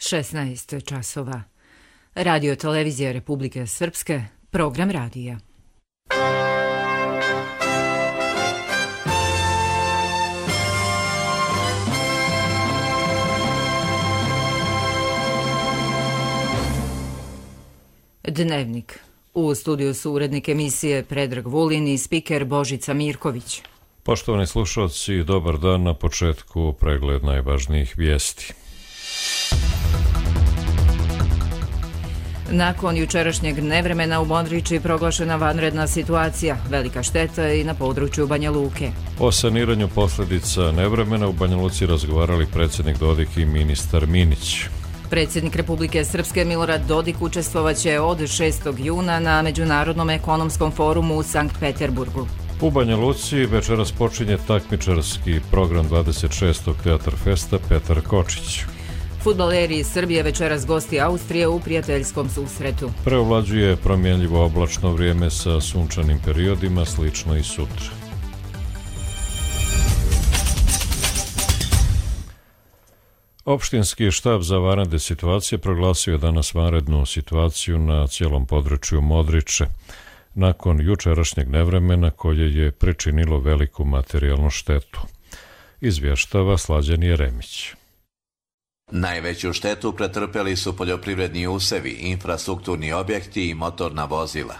16 časova. Radio televizija Republike Srpske, program radija. Dnevnik. U studiju su urednik emisije Predrag Vulin i spiker Božica Mirković. Poštovani slušalci, dobar dan. Na početku pregled najvažnijih vijesti. Nakon jučerašnjeg nevremena u Modriči proglašena vanredna situacija, velika šteta i na području Banja Luke. O saniranju posljedica nevremena u Banja Luci razgovarali predsjednik Dodik i ministar Minić. Predsjednik Republike Srpske Milorad Dodik učestvovaće od 6. juna na Međunarodnom ekonomskom forumu u Sankt Peterburgu. U Banja Luci večeras počinje takmičarski program 26. Teatar Festa Petar Kočić. Fudbaleri iz Srbije večeras gosti Austrije u prijateljskom susretu. Preovlađuje promjenljivo oblačno vrijeme sa sunčanim periodima, slično i sutra. Opštinski štab za vanredne situacije proglasio je danas vanrednu situaciju na cijelom području Modriče, nakon jučerašnjeg nevremena koje je pričinilo veliku materijalnu štetu. Izvještava Slađan Jeremić. Najveću štetu pretrpjeli su poljoprivredni usevi, infrastrukturni objekti i motorna vozila.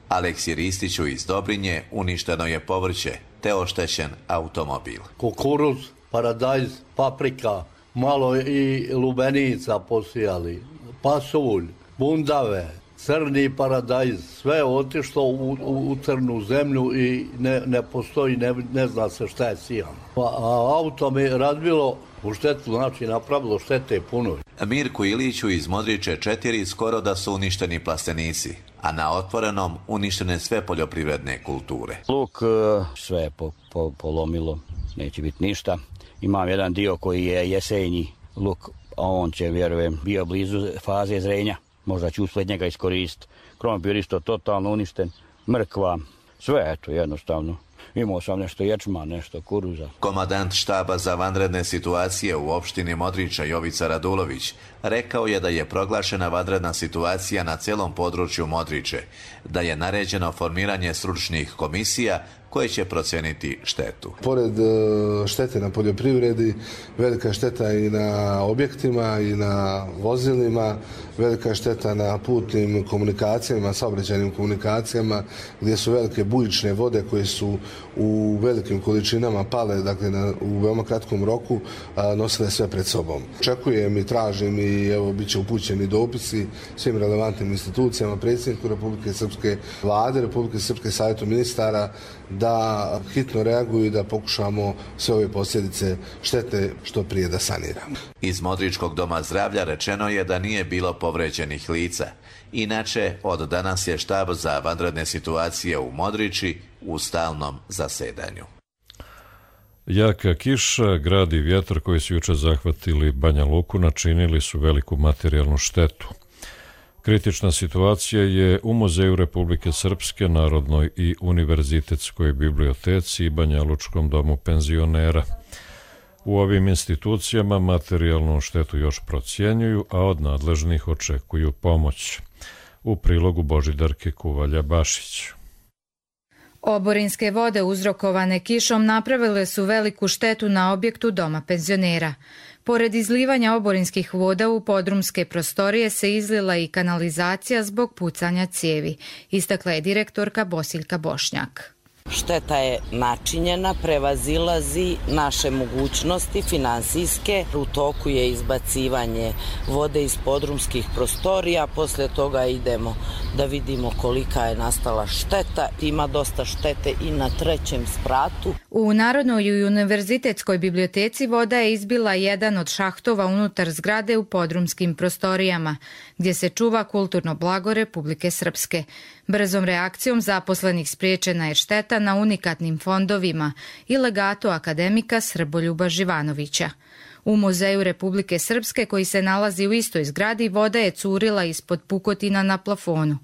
Aleksij Ristiću iz Dobrinje uništeno je povrće te oštećen automobil. Kukuruz, paradajz, paprika, malo i lubenica posijali, pasulj, bundave, crni paradajz, sve je otišlo u crnu zemlju i ne postoji, ne zna se šta je sijano. A auto mi razbilo u štetu, znači napravilo štete puno. Mirku Iliću iz Modriče 4 skoro da su uništeni plastenici, a na otvorenom uništene sve poljoprivredne kulture. Luk sve je polomilo, neće biti ništa. Imam jedan dio koji je jesenji luk, a on će, vjerujem, bio blizu faze zrenja. Možda ću uspjet njega iskoristiti. Krompir isto totalno uništen, mrkva, sve eto jednostavno. Imao sam nešto ječma, nešto kuruza. Komandant štaba za vanredne situacije u opštini Modriča Jovica Radulović rekao je da je proglašena vanredna situacija na cijelom području Modriče, da je naređeno formiranje stručnih komisija koje će procijeniti štetu. Pored štete na poljoprivredi, velika šteta i na objektima i na vozilima, velika šteta na putnim komunikacijama, saobraćajnim komunikacijama, gdje su velike bujične vode koje su u velikim količinama pale, dakle u veoma kratkom roku, nosile sve pred sobom. Očekujem i tražim i evo bit će upućeni dopisi svim relevantnim institucijama, predsjedniku Republike Srpske, Vlade Republike Srpske, Savjetu ministara, da hitno reaguju i da pokušamo sve ove posljedice štete što prije da saniramo. Iz Modričkog doma zdravlja rečeno je da nije bilo povređenih lica. Inače, od danas je štab za vanredne situacije u Modriči u stalnom zasedanju. Jaka kiša, grad i vjetar koji su jučer zahvatili Banja Luku načinili su veliku materijalnu štetu. Kritična situacija je u Muzeju Republike Srpske, Narodnoj i Univerzitetskoj biblioteci i Banja Lučkom domu penzionera. U ovim institucijama materijalnu štetu još procjenjuju, a od nadležnih očekuju pomoć. U prilogu Božidarke Kuvalja-Bašić. Oborinske vode uzrokovane kišom napravile su veliku štetu na objektu doma penzionera. Pored izlivanja oborinskih voda u podrumske prostorije se izlila i kanalizacija zbog pucanja cijevi, istakla je direktorka Bosiljka Bošnjak. Šteta je načinjena, prevazilazi naše mogućnosti finansijske. U toku je izbacivanje vode iz podrumskih prostorija, poslije toga idemo da vidimo kolika je nastala šteta. Ima dosta štete i na 3. spratu. U Narodnoj i Univerzitetskoj biblioteci voda je izbila jedan od šahtova unutar zgrade u podrumskim prostorijama, gdje se čuva kulturno blago Republike Srpske. Brzom reakcijom zaposlenih spriječena je šteta na unikatnim fondovima i legatu akademika Srboljuba Živanovića. U Muzeju Republike Srpske, koji se nalazi u istoj zgradi, voda je curila ispod pukotina na plafonu.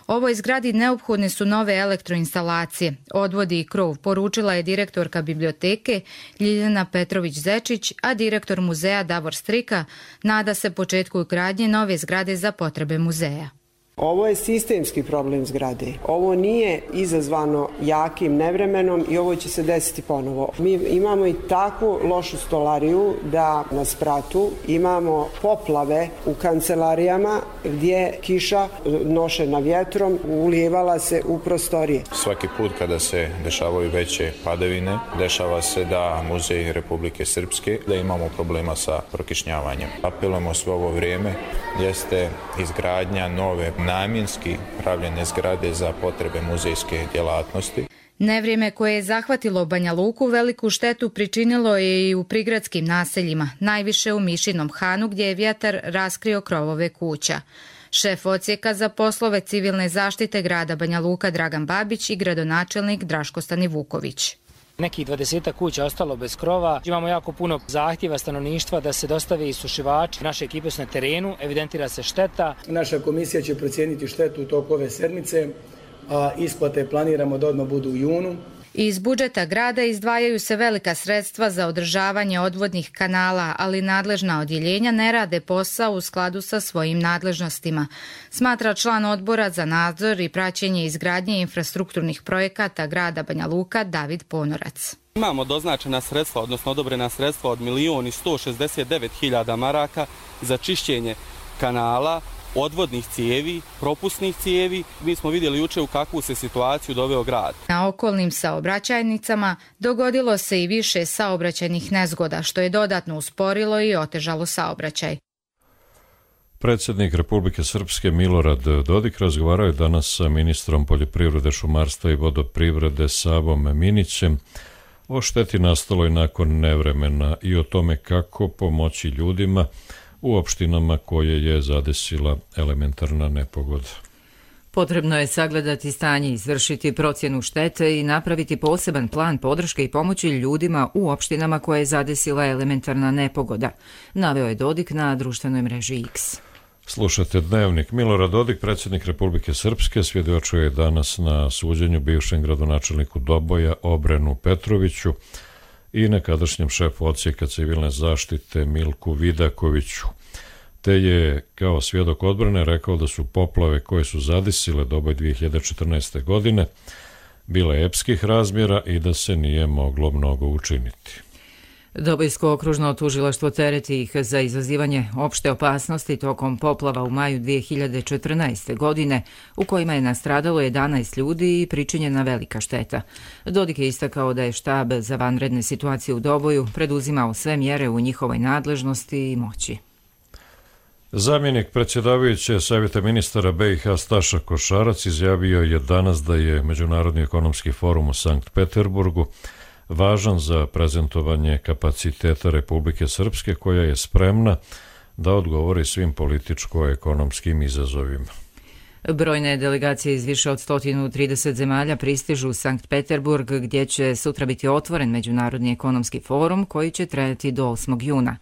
Ovoj zgradi neophodne su nove elektroinstalacije. Odvodi i krov, poručila je direktorka biblioteke Ljiljana Petrović-Zečić, a direktor muzeja Davor Strika nada se početku gradnje nove zgrade za potrebe muzeja. Ovo je sistemski problem zgrade. Ovo nije izazvano jakim nevremenom i ovo će se desiti ponovo. Mi imamo i takvu lošu stolariju da na spratu imamo poplave u kancelarijama gdje kiša nošena vjetrom ulijevala se u prostorije. Svaki put kada se dešavaju veće padavine, dešava se da Muzej Republike Srpske, da imamo problema sa prokišnjavanjem. Apelujemo sve ovo vrijeme jeste izgradnja nove namjenski pravljene zgrade za potrebe muzejske djelatnosti. Nevrijeme koje je zahvatilo Banja Luku veliku štetu pričinilo je i u prigradskim naseljima, najviše u Mišinom Hanu gdje je vjetar raskrio krovove kuća. Šef odsjeka za poslove civilne zaštite grada Banja Luka Dragan Babić i gradonačelnik Draško Stanivuković. Nekih 20 kuća ostalo bez krova. Imamo jako puno zahtjeva stanovništva da se dostave isušivači. Naše ekipe su na terenu, evidentira se šteta. Naša komisija će procijeniti štetu u toku ove sedmice, a isplate planiramo da odmah budu u junu. Iz budžeta grada izdvajaju se velika sredstva za održavanje odvodnih kanala, ali nadležna odjeljenja ne rade posao u skladu sa svojim nadležnostima, smatra član odbora za nadzor i praćenje izgradnje infrastrukturnih projekata grada Banja Luka David Ponorac. Imamo doznačena sredstva, odnosno odobrena sredstva od 1.169.000 maraka za čišćenje kanala, odvodnih cijevi, propusnih cijevi. Mi smo vidjeli juče u kakvu se situaciju doveo grad. Na okolnim saobraćajnicama dogodilo se i više saobraćajnih nezgoda, što je dodatno usporilo i otežalo saobraćaj. Predsjednik Republike Srpske Milorad Dodik razgovarao je danas sa ministrom poljoprivrede, šumarstva i vodoprivrede Savom Minićem o šteti nastaloj nakon nevremena i o tome kako pomoći ljudima u opštinama koje je zadesila elementarna nepogoda. Potrebno je sagledati stanje, izvršiti procjenu štete i napraviti poseban plan podrške i pomoći ljudima u opštinama koje je zadesila elementarna nepogoda, naveo je Dodik na društvenoj mreži X. Slušate Dnevnik. Milorad Dodik, predsjednik Republike Srpske, svjedočio je danas na suđenju bivšem gradonačelniku Doboja Obrenu Petroviću i nekadašnjem šefu odsjeka civilne zaštite Milku Vidakoviću, te je kao svjedok odbrane rekao da su poplave koje su zadesile Doboj 2014. godine bile epskih razmjera i da se nije moglo mnogo učiniti. Dobojsko okružno tužilaštvo tereti ih za izazivanje opšte opasnosti tokom poplava u maju 2014. godine, u kojima je nastradalo 11 ljudi i pričinjena velika šteta. Dodik je istakao da je štab za vanredne situacije u Doboju preduzimao sve mjere u njihovoj nadležnosti i moći. Zamjenik predsjedavajuće Savjeta ministara BiH Staša Košarac izjavio je danas da je Međunarodni ekonomski forum u Sankt Peterburgu važan za prezentovanje kapaciteta Republike Srpske koja je spremna da odgovori svim političko-ekonomskim izazovima. Brojne delegacije iz više od 130 zemalja pristižu u Sankt Peterburg, gdje će sutra biti otvoren Međunarodni ekonomski forum koji će trajati do 8. juna.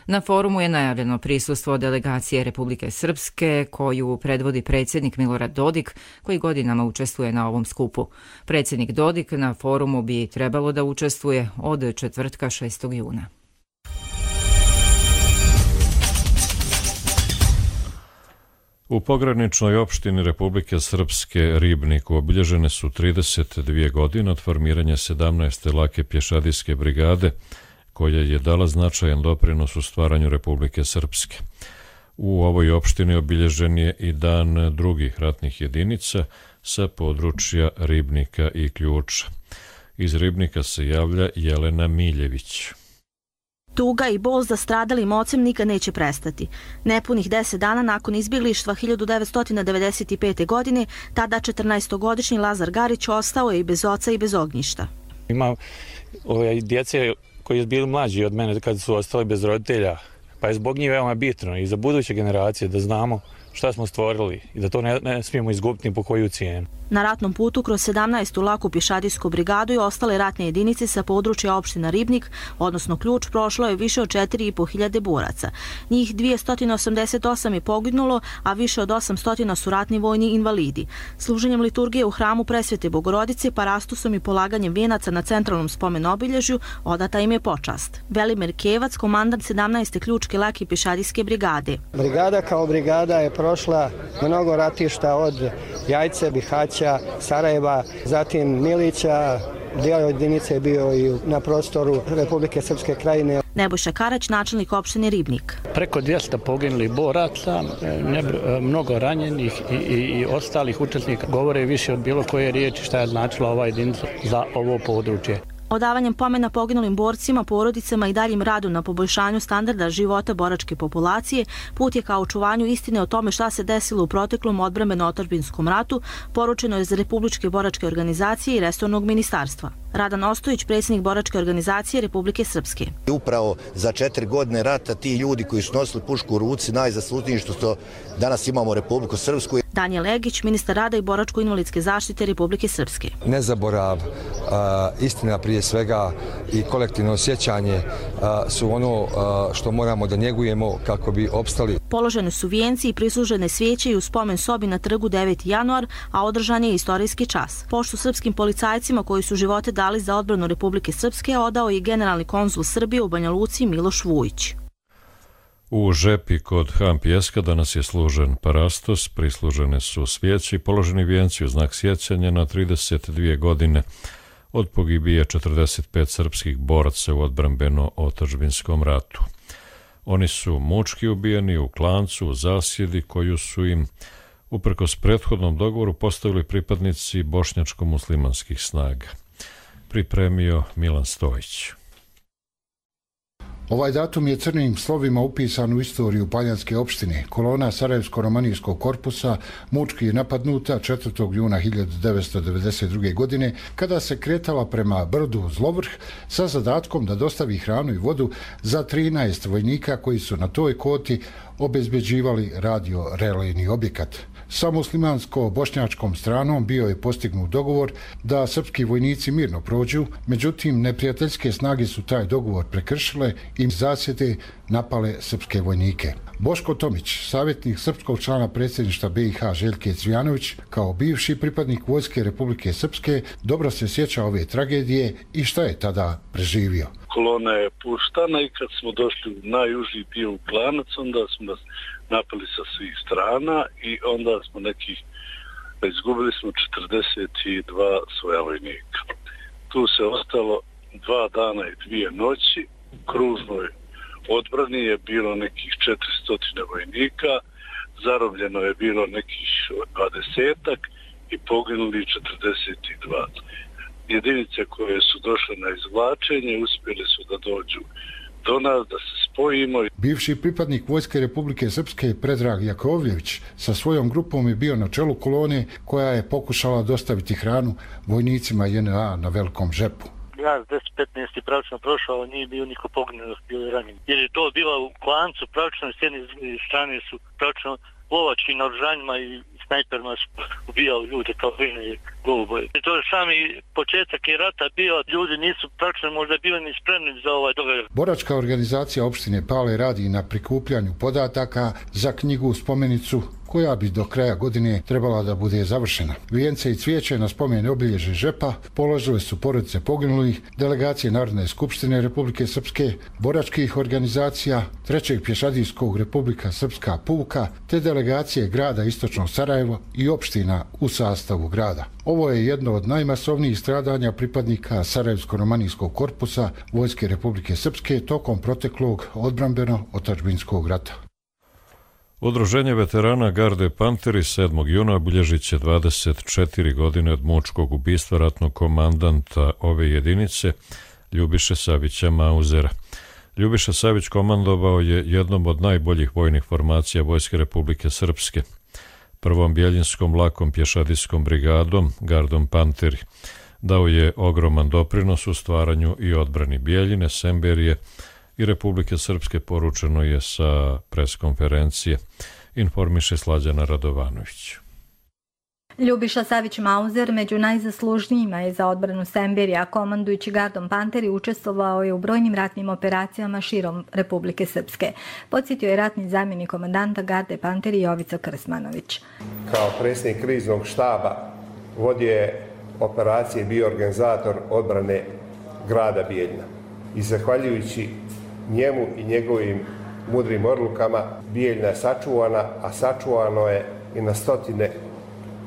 Na forumu je najavljeno prisustvo delegacije Republike Srpske koju predvodi predsjednik Milorad Dodik, koji godinama učestvuje na ovom skupu. Predsjednik Dodik na forumu bi trebalo da učestvuje od četvrtka 6. juna. U pograničnoj opštini Republike Srpske Ribniku obilježene su 32 godine od formiranja 17. lake pješadijske brigade, koja je dala značajan doprinos u stvaranju Republike Srpske. U ovoj opštini obilježen je i dan drugih ratnih jedinica sa područja Ribnika i Ključa. Iz Ribnika se javlja Jelena Miljević. Tuga i bol za stradalim ocem nikad neće prestati. Nepunih 10 dana nakon izbjeglištva 1995. godine, tada 14-godišnji Lazar Garić ostao je i bez oca i bez ognjišta. Ima djece koji su bili mlađi od mene kad su ostali bez roditelja, pa je zbog njih veoma bitno i za buduće generacije da znamo šta smo stvorili i da to ne smijemo izgubiti ni po koju cijenu. Na ratnom putu kroz 17. laku pješadijsku brigadu i ostale ratne jedinice sa područja opština Ribnik, odnosno Ključ, prošlo je više od 4.500 boraca. Njih 288 je poginulo, a više od 800 su ratni vojni invalidi. Služenjem liturgije u hramu Presvete Bogorodice, parastusom i polaganjem vijenaca na centralnom spomen obilježju odata im je počast. Velimir Kevac, komandant 17. Ključke lake pješadijske brigade. Brigada kao brigada je prošla mnogo ratišta od Jajce, Bihaća, Sarajeva, zatim Milića, dio jedinice je bio i na prostoru Republike Srpske krajine. Nebojša Karać, načelnik opštine Ribnik. Preko 200 poginulih boraca, mnogo ranjenih i ostalih učesnika govore više od bilo koje riječi šta je značila ova jedinica za ovo područje. Odavanjem pomena poginulim borcima, porodicama i daljim radu na poboljšanju standarda života boračke populacije, put je ka očuvanju istine o tome šta se desilo u proteklom odbrambeno-otadžbinskom ratu, poručeno je za Republičke boračke organizacije i resornog ministarstva. Radan Ostojić, predsjednik boračke organizacije Republike Srpske. Upravo za 4 godine rata ti ljudi koji su nosili pušku u ruci najzaslužniji što danas imamo Republiku Srpsku. Daniel Egić, ministar rada i boračko-invalidske zaštite Republike Srpske. Nezaborav, istina prije svega i kolektivno sjećanje su ono što moramo da njegujemo kako bi opstali. Položene su vijenci i prislužene svijeće i u spomen sobi na trgu 9. januar, a održan je istorijski čas. Poštu srpskim policajcima koji su živote dali za odbranu Republike Srpske odao je generalni konzul Srbije u Banja Luci Miloš Vujić. U Žepi kod Han Pjeska danas je služen parastos, prislužene su svijeće i položeni vijenci u znak sjećanja na 32 godine od pogibije 45 srpskih boraca u odbrambeno-otadžbinskom ratu. Oni su mučki ubijeni u klancu u zasjedi koju su im uprkos prethodnom dogovoru postavili pripadnici bošnjačko-muslimanskih snaga. Pripremio Milan Stojić. Ovaj datum je crnim slovima upisan u istoriju Paljanske opštine. Kolona Sarajevsko-romanijskog korpusa mučki je napadnuta 4. juna 1992. godine kada se kretala prema brdu Zlovrh sa zadatkom da dostavi hranu i vodu za 13 vojnika koji su na toj koti obezbeđivali radio-relejni objekat. Sa muslimansko-bošnjačkom stranom bio je postignut dogovor da srpski vojnici mirno prođu, međutim neprijateljske snage su taj dogovor prekršile i zasjede napale srpske vojnike. Boško Tomić, savjetnik srpskog člana predsjedništva BiH Željke Cvijanović, kao bivši pripadnik vojske Republike Srpske, dobro se sjeća ove tragedije i šta je tada preživio. Kolona je puštana i kad smo došli u najužiji dio u klanac, onda smo nas napali sa svih strana i onda smo izgubili smo 42 svoja vojnika. Tu se ostalo 2 dana i 2 noći. U kružnoj odbrani je bilo nekih 400 vojnika, zarobljeno je bilo nekih 20-ak i poginuli 42. Jedinice koje su došle na izvlačenje uspjeli su da dođu do nas, da se spojimo. Bivši pripadnik vojske Republike Srpske Predrag Jakovljević sa svojom grupom je bio na čelu kolone koja je pokušala dostaviti hranu vojnicima JNA na Velikom Žepu. Ja 10-15 pravično prošao, nije bio niko poginut, bio je ranjen. Jer je to bilo u klancu, pravično s jedne strane su pravično lovački naoružanjima i snajperima su ubijali ljude kao vine goluboje. To je sami početak je rata bio, ljudi nisu pravično možda bili ni spremni za ovaj događaj. Boračka organizacija opštine Pale radi na prikupljanju podataka za knjigu spomenicu koja bi do kraja godine trebala da bude završena. Vijence i cvijeće na spomen obilježje Žepa položile su porodice poginulih, delegacije Narodne skupštine Republike Srpske, boračkih organizacija, 3. pješadijskog Republika Srpska puka, te delegacije grada Istočno Sarajevo i opština u sastavu grada. Ovo je jedno od najmasovnijih stradanja pripadnika Sarajevsko-romanijskog korpusa Vojske Republike Srpske tokom proteklog odbrambeno-otadžbinskog rata. Udruženje veterana Garde Panteri 7. juna obilježit će 24 godine od mučkog ubistva ratnog komandanta ove jedinice, Ljubiše Savića Mauzera. Ljubiša Savić komandovao je jednom od najboljih vojnih formacija Vojske Republike Srpske, prvom Bjeljinskom lakom pješadijskom brigadom Gardom Panteri. Dao je ogroman doprinos u stvaranju i odbrani Bjeljine, Semberije i Republike Srpske, poručeno je sa preskonferencije, informiše Slađana Radovanović. Ljubiša Savić-Mauzer među najzaslužnijima je za odbranu Semberija, komandujući gardom Panteri učestvovao je u brojnim ratnim operacijama širom Republike Srpske. Podsjetio je ratni zamjenik komandanta garde Panteri Jovica Krsmanović. Kao predsjednik kriznog štaba vodio je operacije, bio organizator odbrane grada Bijeljina. I zahvaljujući njemu i njegovim mudrim odlukama Bijeljina je sačuvana, a sačuvano je i na stotine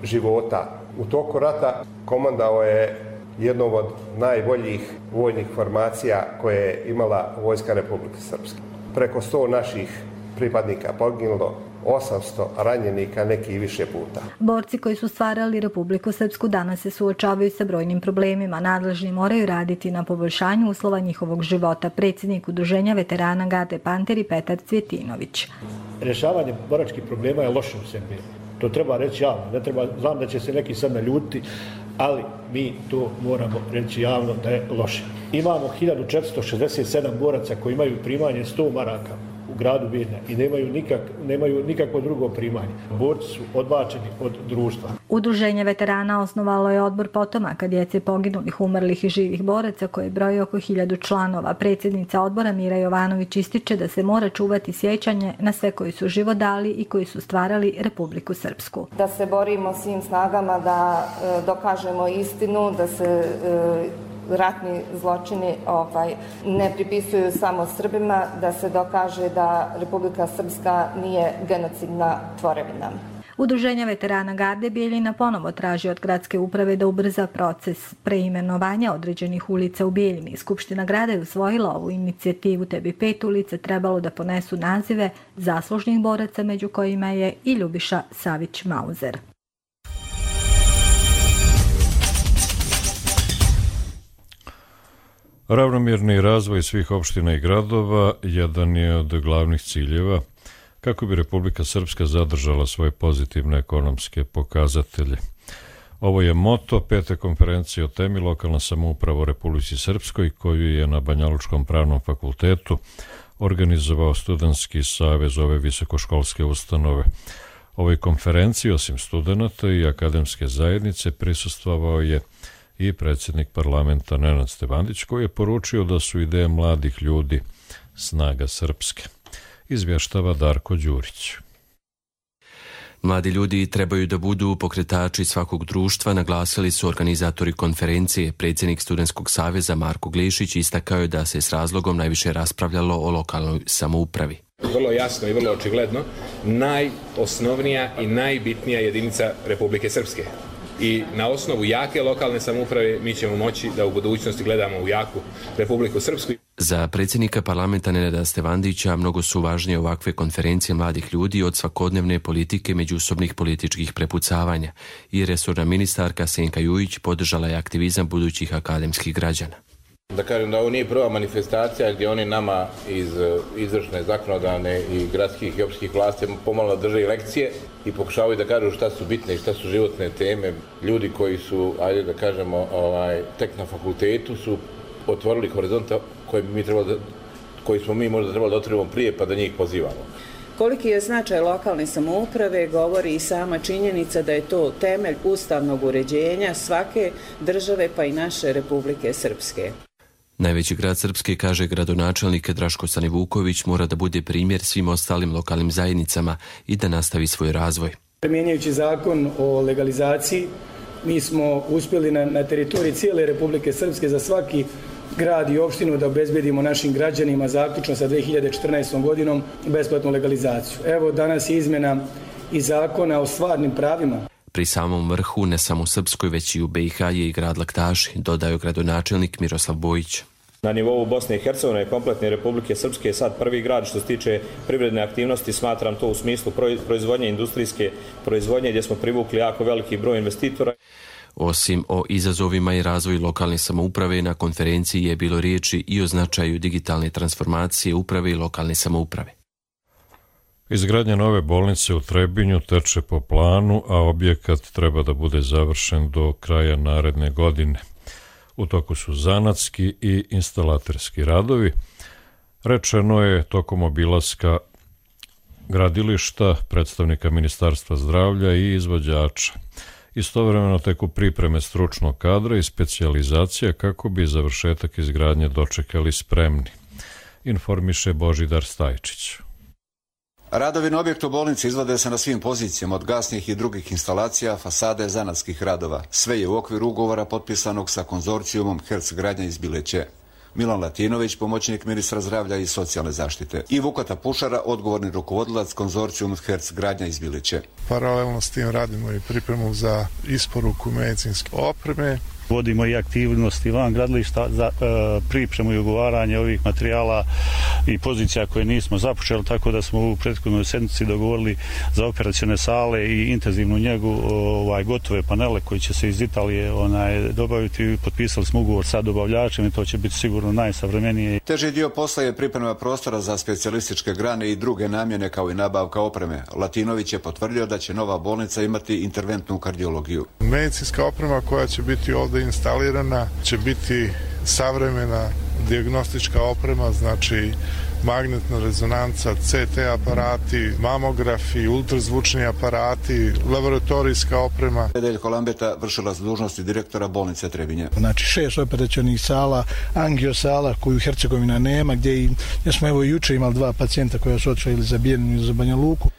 života. U toku rata komandao je jednom od najboljih vojnih formacija koje je imala Vojska Republike Srpske. Preko 100 naših pripadnika poginulo, 800 ranjenika, neki i više puta. Borci koji su stvarali Republiku Srpsku danas se suočavaju sa brojnim problemima. Nadležni moraju raditi na poboljšanju uslova njihovog života. Predsjednik Udruženja veterana garde Panteri Petar Cvjetinović. Rješavanje boračkih problema je loše u Srbiji. To treba reći javno. Ne treba, znam da će se neki sad naljutiti, ali mi to moramo reći javno da je loše. Imamo 1467 boraca koji imaju primanje 100 maraka u gradu Bijeljina i nemaju nikakvo drugo primanje. Borci su odbačeni od društva. Udruženje veterana osnovalo je odbor potomaka djece poginulih, umrlih i živih boraca koje broji oko 1000 članova. Predsjednica odbora Mira Jovanović ističe da se mora čuvati sjećanje na sve koji su život dali i koji su stvarali Republiku Srpsku. Da se borimo svim snagama da dokažemo istinu, da se ratni zločini ne pripisuju samo Srbima, da se dokaže da Republika Srpska nije genocidna tvorevina. Udruženje veterana garde Bijeljina ponovo traži od gradske uprave da ubrza proces preimenovanja određenih ulica u Bijeljini. Skupština grada je usvojila ovu inicijativu, te bi 5 ulica trebalo da ponesu nazive zaslužnih boraca, među kojima je i Ljubiša Savić-Mauzer. Ravnomjerni razvoj svih opština i gradova jedan je od glavnih ciljeva kako bi Republika Srpska zadržala svoje pozitivne ekonomske pokazatelje. Ovo je moto 5. konferencije o temi lokalna samouprava u Republici Srpskoj, koju je na Banjalučkom pravnom fakultetu organizovao Studentski savez ove visokoškolske ustanove. Ovoj konferenciji, osim studenata i akademske zajednice, prisustvovao je i predsjednik parlamenta Nenad Stevandić, koji je poručio da su ideje mladih ljudi snaga Srpske. Izvještava Darko Đurić. Mladi ljudi trebaju da budu pokretači svakog društva, naglasili su organizatori konferencije. Predsjednik Studentskog saveza Marko Glišić istakao je da se s razlogom najviše raspravljalo o lokalnoj samoupravi. Vrlo jasno i vrlo očigledno, najosnovnija i najbitnija jedinica Republike Srpske. I na osnovu jake lokalne samouprave mi ćemo moći da u budućnosti gledamo u jaku Republiku Srpsku. Za predsjednika parlamenta Nenada Stevandića mnogo su važnije ovakve konferencije mladih ljudi od svakodnevne politike međusobnih političkih prepucavanja i resorna ministarka Senka Jujić podržala je aktivizam budućih akademskih građana. Da kažem da ovo nije prva manifestacija gdje oni nama iz izvršne, zakonodavne i gradskih i općinskih vlasti pomalo drže i lekcije i pokušavaju da kažu šta su bitne i šta su životne teme. Ljudi koji su, ajde da kažemo, tek na fakultetu su otvorili horizonte koji smo mi možda trebali da otvorimo prije pa da njih pozivamo. Koliki je značaj lokalne samouprave govori i sama činjenica da je to temelj ustavnog uređenja svake države pa i naše Republike Srpske. Najveći grad Srpske, kaže gradonačelnik Draško Stanivuković, mora da bude primjer svim ostalim lokalnim zajednicama i da nastavi svoj razvoj. Mijenjajući zakon o legalizaciji, mi smo uspjeli na teritoriji cijele Republike Srpske za svaki grad i opštinu da obezbedimo našim građanima zaključno sa 2014. godinom besplatnu legalizaciju. Evo danas je izmjena i zakona o stvarnim pravima. Pri samom vrhu, ne samo u Srpskoj, već i u BiH je i grad Laktaši, dodao gradonačelnik Miroslav Bojić. Na nivou Bosne i Hercegovine i kompletne Republike Srpske je sad prvi grad što se tiče privredne aktivnosti, smatram to u smislu proizvodnje, industrijske proizvodnje, gdje smo privukli jako veliki broj investitora. Osim o izazovima i razvoju lokalne samouprave, na konferenciji je bilo riječi i o značaju digitalne transformacije uprave i lokalne samouprave. Izgradnja nove bolnice u Trebinju teče po planu, a objekat treba da bude završen do kraja naredne godine. U toku su zanatski i instalaterski radovi. Rečeno je tokom obilaska gradilišta, predstavnika Ministarstva zdravlja i izvođača. Istovremeno teku pripreme stručnog kadra i specijalizacija kako bi završetak izgradnje dočekali spremni, informiše Božidar Stajčić. Radovi na objektu bolnice izvode se na svim pozicijama, od gasnih i drugih instalacija, fasade, zanatskih radova. Sve je u okviru ugovora potpisanog sa konzorcijumom Herc gradnja iz Bileće. Milan Latinović, pomoćnik ministra zdravlja i socijalne zaštite. I Vukata Pušara, odgovorni rukovodilac konzorcijum Herc gradnja iz Bileće. Paralelno s tim radimo i pripremu za isporuku medicinske opreme. Vodimo i aktivnosti van gradilišta za pripremu i ugovaranje ovih materijala i pozicija koje nismo započeli, tako da smo u prethodnoj sedmici dogovorili za operacione sale i intenzivnu njegu gotove panele koji će se iz Italije dobaviti. Potpisali smo ugovor sa dobavljačem i to će biti sigurno najsavremenije. Teži dio posla je priprema prostora za specijalističke grane i druge namjene kao i nabavka opreme. Latinović je potvrdio da će nova bolnica imati interventnu kardiologiju. Medicinska oprema koja će biti ovdje instalirana će biti savremena dijagnostička oprema, znači magnetna rezonanca, CT aparati, mamografi, ultrazvučni aparati, laboratorijska oprema. Nedeljko Lambeta, vršilac dužnosti direktora bolnice Trebinje. Znači 6 operacionih sala, angiosala koju Hercegovina nema, gdje smo evo juče imali 2 pacijenta koja su otišli ili za Bijeljinu ili za Banja Luku.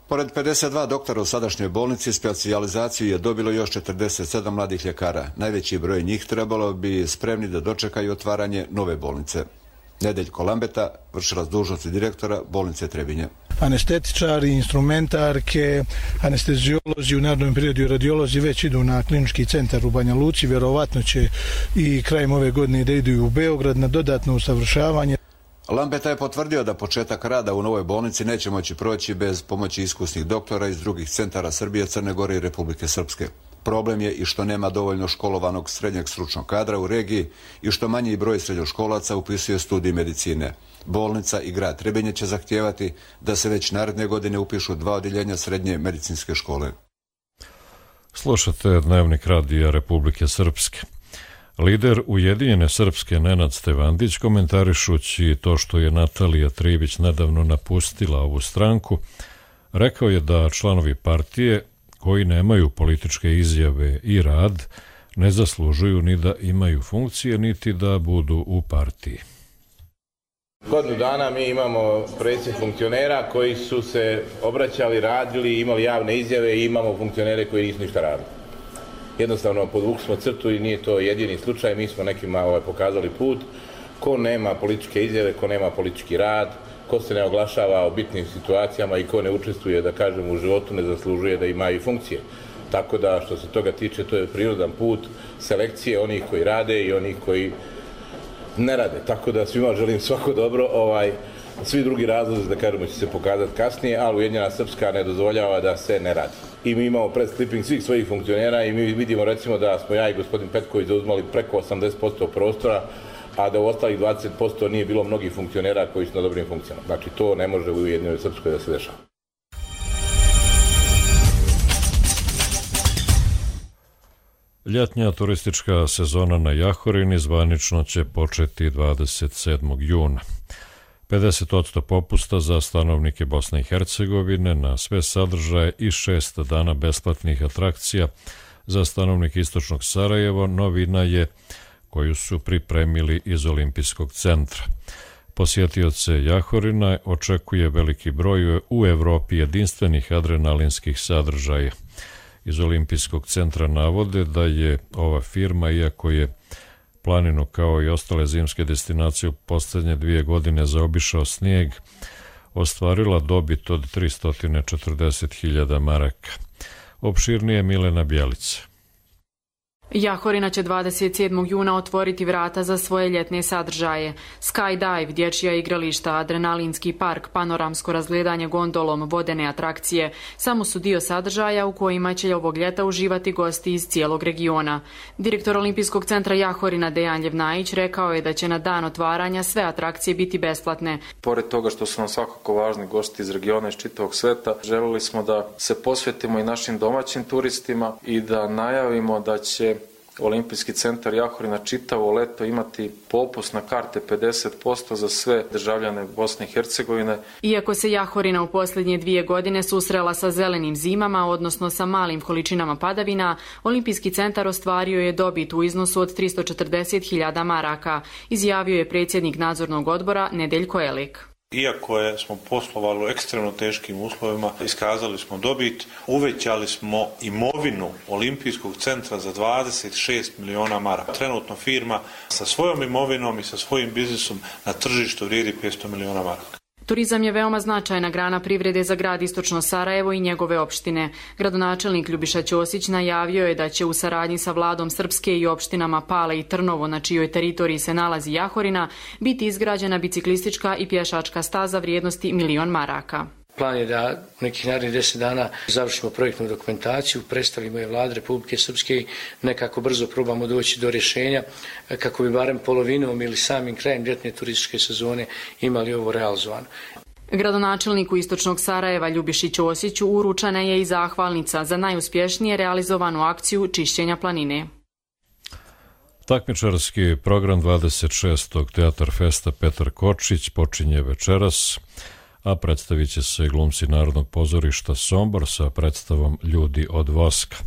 Pored 52 doktora u sadašnjoj bolnici, specijalizaciju je dobilo još 47 mladih ljekara. Najveći broj njih trebalo bi spremni da dočekaju otvaranje nove bolnice. Nedeljko Lambeta, vršilac dužnosti direktora bolnice Trebinje. Anestetičari, instrumentarke, anesteziolozi, u narednom periodu radiolozi već idu na klinički centar u Banja Luci. Vjerovatno će i krajem ove godine da idu u Beograd na dodatno usavršavanje. Lambeta je potvrdio da početak rada u novoj bolnici neće moći proći bez pomoći iskusnih doktora iz drugih centara Srbije, Crne Gore i Republike Srpske. Problem je i što nema dovoljno školovanog srednjeg stručnog kadra u regiji i što manji broj srednjoškolaca upisuje studij medicine. Bolnica i grad Trebinje će zahtijevati da se već naredne godine upišu 2 odjeljenja srednje medicinske škole. Slušate Dnevnik radija Republike Srpske. Lider Ujedinjene Srpske Nenad Stevandić, komentarišući to što je Natalija Trivić nedavno napustila ovu stranku, rekao je da članovi partije koji nemaju političke izjave i rad ne zaslužuju ni da imaju funkcije, niti da budu u partiji. Godinu dana mi imamo predsjednik funkcionera koji su se obraćali, radili, imali javne izjave i imamo funkcionere koji nisu ništa radili. Jednostavno podvukli smo crtu i nije to jedini slučaj, mi smo nekima pokazali put. Ko nema političke izjave, ko nema politički rad, ko se ne oglašava o bitnim situacijama i ko ne učestvuje, da kažem, u životu, ne zaslužuje da ima i funkcije. Tako da što se toga tiče, to je prirodan put selekcije onih koji rade i onih koji ne rade. Tako da svima želim svako dobro. Svi drugi razlozi, da kažemo, će se pokazati kasnije, ali Ujedinjena Srpska ne dozvoljava da se ne radi. I mi imamo press clipping svih svojih funkcionera i mi vidimo recimo da smo ja i gospodin Petković zauzmali preko 80% prostora, a da u ostalih 20% nije bilo mnogih funkcionera koji su na dobrim funkcijama. Znači to ne može u Ujedinjenoj Srpskoj da se dešava. Ljetnja turistička sezona na Jahorini zvanično će početi 27. juna. 50% popusta za stanovnike Bosne i Hercegovine na sve sadržaje i 6 dana besplatnih atrakcija za stanovnike istočnog Sarajeva novina je koju su pripremili iz Olimpijskog centra. Posjetioce Jahorina očekuje veliki broj u Evropi jedinstvenih adrenalinskih sadržaja. Iz Olimpijskog centra navode da je ova firma, iako je planinu kao i ostale zimske destinacije u posljednje 2 godine zaobišao snijeg, ostvarila dobit od 340.000 maraka. Opširnije Milena Bjelica. Jahorina će 27. juna otvoriti vrata za svoje ljetne sadržaje. Skydive, dječja igrališta, adrenalinski park, panoramsko razgledanje gondolom, vodene atrakcije samo su dio sadržaja u kojima će ovog ljeta uživati gosti iz cijelog regiona. Direktor Olimpijskog centra Jahorina Dejan Ljevnajić rekao je da će na dan otvaranja sve atrakcije biti besplatne. Pored toga što su nam svakako važni gosti iz regiona, iz čitavog sveta, želeli smo da se posvetimo i našim domaćim turistima i da najavimo da će Olimpijski centar Jahorina čitavo leto imati popust na karte 50% za sve državljane Bosne i Hercegovine. Iako se Jahorina u posljednje 2 godine susrela sa zelenim zimama, odnosno sa malim količinama padavina, Olimpijski centar ostvario je dobit u iznosu od 340.000 maraka, izjavio je predsjednik nadzornog odbora Nedeljko Elik. Iako smo poslovali u ekstremno teškim uslovima, iskazali smo dobit, uvećali smo imovinu Olimpijskog centra za 26 miliona maraka. Trenutno firma sa svojom imovinom i sa svojim biznisom na tržištu vrijedi 500 miliona maraka. Turizam je veoma značajna grana privrede za grad Istočno Sarajevo i njegove opštine. Gradonačelnik Ljubiša Ćosić najavio je da će u saradnji sa vladom Srpske i opštinama Pale i Trnovo, na čijoj teritoriji se nalazi Jahorina, biti izgrađena biciklistička i pješačka staza vrijednosti 1 milion maraka. Plan je da u nekih narednih 10 dana završimo projektnu dokumentaciju, predstavimo je Vlade Republike Srpske i nekako brzo probamo doći do rješenja kako bi barem polovinom ili samim krajem ljetne turističke sezone imali ovo realizovano. Gradonačelniku Istočnog Sarajeva Ljubiši Ćosiću uručena je i zahvalnica za najuspješnije realizovanu akciju čišćenja planine. Takmičarski program 26. Teatar Festa Petar Kočić počinje večeras, a predstavit će se glumci Narodnog pozorišta Sombor sa predstavom Ljudi od voska.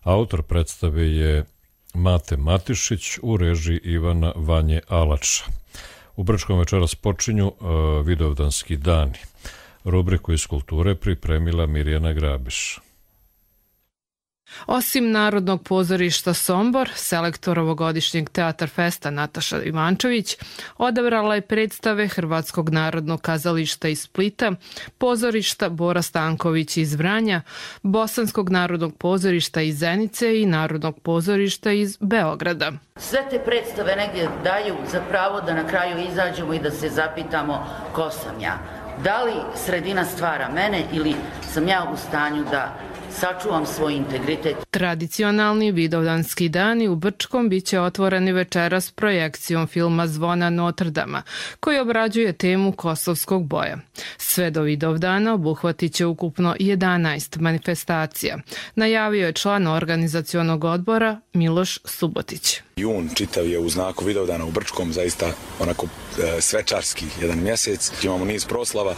Autor predstave je Mate Matišić u režiji Ivana Vanje Alača. U Brčkom večeras počinju Vidovdanski dani. Rubriku iz kulture pripremila Mirjana Grabiš. Osim Narodnog pozorišta Sombor, selektor ovogodišnjeg Teatar Festa Nataša Ivančević odabrala je predstave Hrvatskog narodnog kazališta iz Splita, pozorišta Bora Stanković iz Vranja, Bosanskog narodnog pozorišta iz Zenice i Narodnog pozorišta iz Beograda. Sve te predstave negdje daju za pravo da na kraju izađemo i da se zapitamo ko sam ja. Da li sredina stvara mene ili sam ja u stanju da sačuvam svoj integritet. Tradicionalni Vidovdanski dani u Brčkom biće otvoreni večeras projekcijom filma Zvona Notrdama, koji obrađuje temu kosovskog boja. Sve do Vidovdana obuhvatit će ukupno 11 manifestacija, najavio je član organizacionog odbora Miloš Subotić. Jun čitav je u znaku Vidovdana u Brčkom, zaista onako svečarski jedan mjesec. Imamo niz proslava,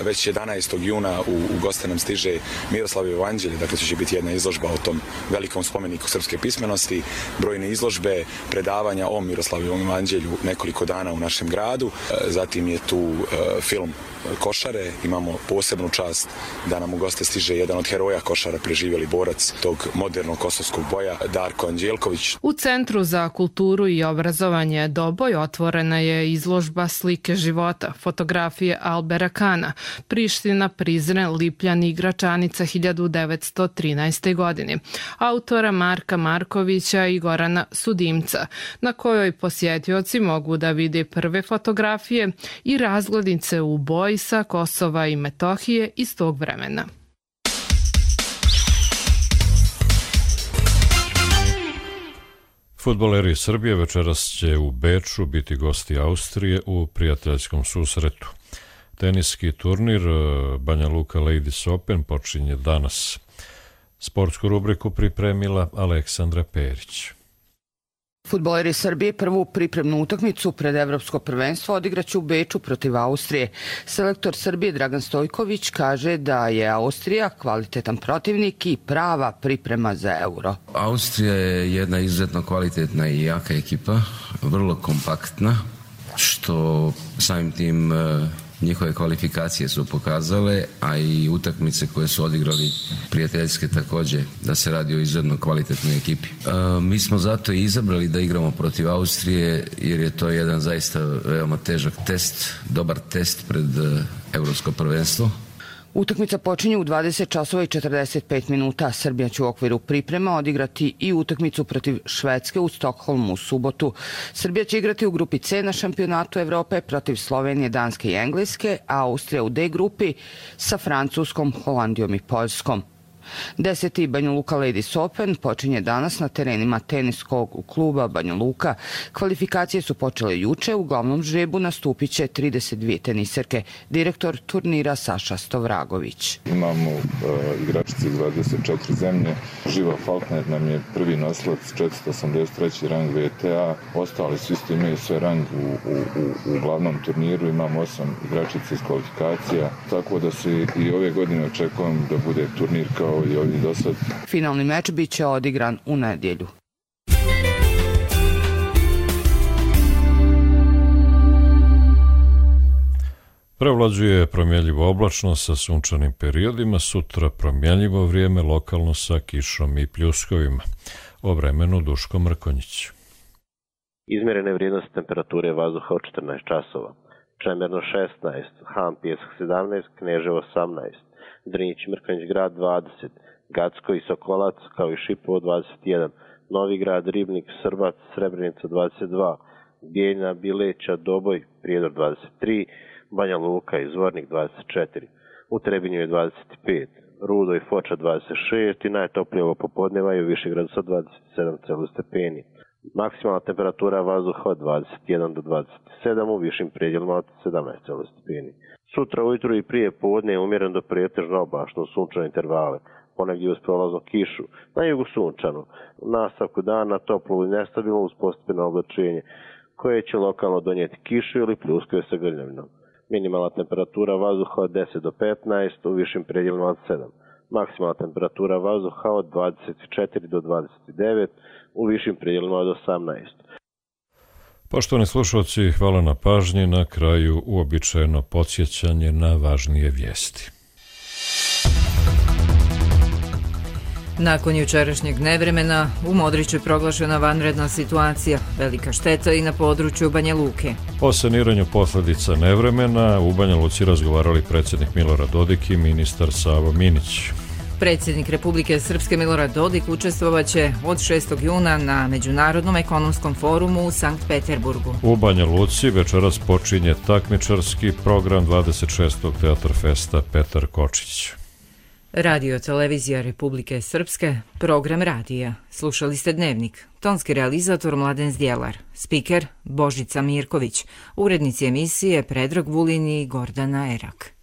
već 11. juna u goste nam stiže Miroslavljevo evanđelje, dakle će biti jedna izložba o tom velikom spomeniku srpske pismenosti, brojne izložbe, predavanja o Miroslavljevom evanđelju nekoliko dana u našem gradu. Zatim je tu film košare, imamo posebnu čast da nam u goste stiže jedan od heroja košara, preživjeli borac tog modernog kosovskog boja, Darko Anđelković. U Centru za kulturu i obrazovanje Doboj otvorena je izložba Slike života, fotografije Albera Kana, Priština, Prizren, Lipljan i Gračanica 1913. godine, autora Marka Markovića i Gorana Sudimca, na kojoj posjetioci mogu da vide prve fotografije i razglednice u boji sa Kosova i Metohije iz tog vremena. Fudbaleri Srbije večeras će u Beču biti gosti Austrije u prijateljskom susretu. Teniski turnir Banja Luka Ladies Open počinje danas. Sportsku rubriku pripremila Aleksandra Perić. Fudbaleri Srbije prvu pripremnu utakmicu pred Evropsko prvenstvo odigraće u Beču protiv Austrije. Selektor Srbije Dragan Stojković kaže da je Austrija kvalitetan protivnik i prava priprema za Euro. Austrija je jedna izuzetno kvalitetna i jaka ekipa, vrlo kompaktna, što samim tim njihove kvalifikacije su pokazale, a i utakmice koje su odigrali prijateljske također, da se radi o izuzetno kvalitetnoj ekipi. Mi smo zato i izabrali da igramo protiv Austrije, jer je to jedan zaista veoma težak test, dobar test pred Evropsko prvenstvo. Utakmica počinje u 20 časova i 45 minuta. Srbija će u okviru priprema odigrati i utakmicu protiv Švedske u Stokholmu u subotu. Srbija će igrati u grupi C na šampionatu Evrope protiv Slovenije, Danske i Engleske, a Austrija u D grupi sa Francuskom, Holandijom i Poljskom. 10. Banja Luka Ladies Open počinje danas na terenima teniskog kluba Banja Luka. Kvalifikacije su počele juče, u glavnom žrebu nastupit će 32 teniserke. Direktor turnira Saša Stovragović. Imamo igračice iz 24 zemlje. Živa Falkner nam je prvi nosilac, 483. rang VTA. Ostali svi isto imaju sve rang u glavnom turniru. Imamo 8 igračica iz kvalifikacija, tako da se i ove godine očekujem da bude turnir kao i ovdje do sad. Finalni meč bit će odigran u nedjelju. Prevlađuje promjenljivo oblačno sa sunčanim periodima, sutra promjenljivo vrijeme, lokalno sa kišom i pljuskovima. O vremenu Duško Mrkonjić. Izmjerene vrijednosti temperature vazduha od 14 časova. Čemerno 16, Han Pjesak 17, Kneževo 18, Drnić i Mrkonjić grad 20, Gacko i Sokolac kao i Šipovo 21, Novi grad, Ribnik, Srbac, Srebrenica 22, Bijeljina, Bileća, Doboj, Prijedor 23, Banja Luka i Zvornik 24, u Trebinju je 25, Rudo i Foča 26 i najtoplije ovo popodneva je u Višegradu sa 27 stepeni. Maksimalna temperatura vazduha od 21 do 27, u višim predjelima od 17 stepeni. Sutra ujutru i prije podne je umjeren do pretežno oblačno u sunčane intervale, ponegdje uz prolaznu kišu, na jugu sunčanu. U nastavku dana toplo i nestabilno uz postepeno oblačenje, koje će lokalno donijeti kišu ili pljuskove sa grljavinom. Minimalna temperatura vazduha od 10 do 15, u višim predjelima od 7. Maksimalna temperatura vazduha od 24 do 29, u višim predjelima od 18. Poštovani slušalci, hvala na pažnji. Na kraju uobičajeno podsjećanje na važnije vijesti. Nakon jučerašnjeg nevremena u Modriću je proglašena vanredna situacija, velika šteta i na području Banja Luke. O saniranju posljedica nevremena u Banja Luci razgovarali predsjednik Milorad Dodik i ministar Savo Minić. Predsjednik Republike Srpske Milorad Dodik učestvovaće od 6. juna na Međunarodnom ekonomskom forumu u Sankt Peterburgu. U Banja Luci večeras počinje takmičarski program 26. Teatar Festa Petar Kočić. Radio televizija Republike Srpske, program radija. Slušali ste Dnevnik. Tonski realizator Mladen Zdjelar. Spiker Božica Mirković. Urednici emisije Predrag Vulin i Gordana Erak.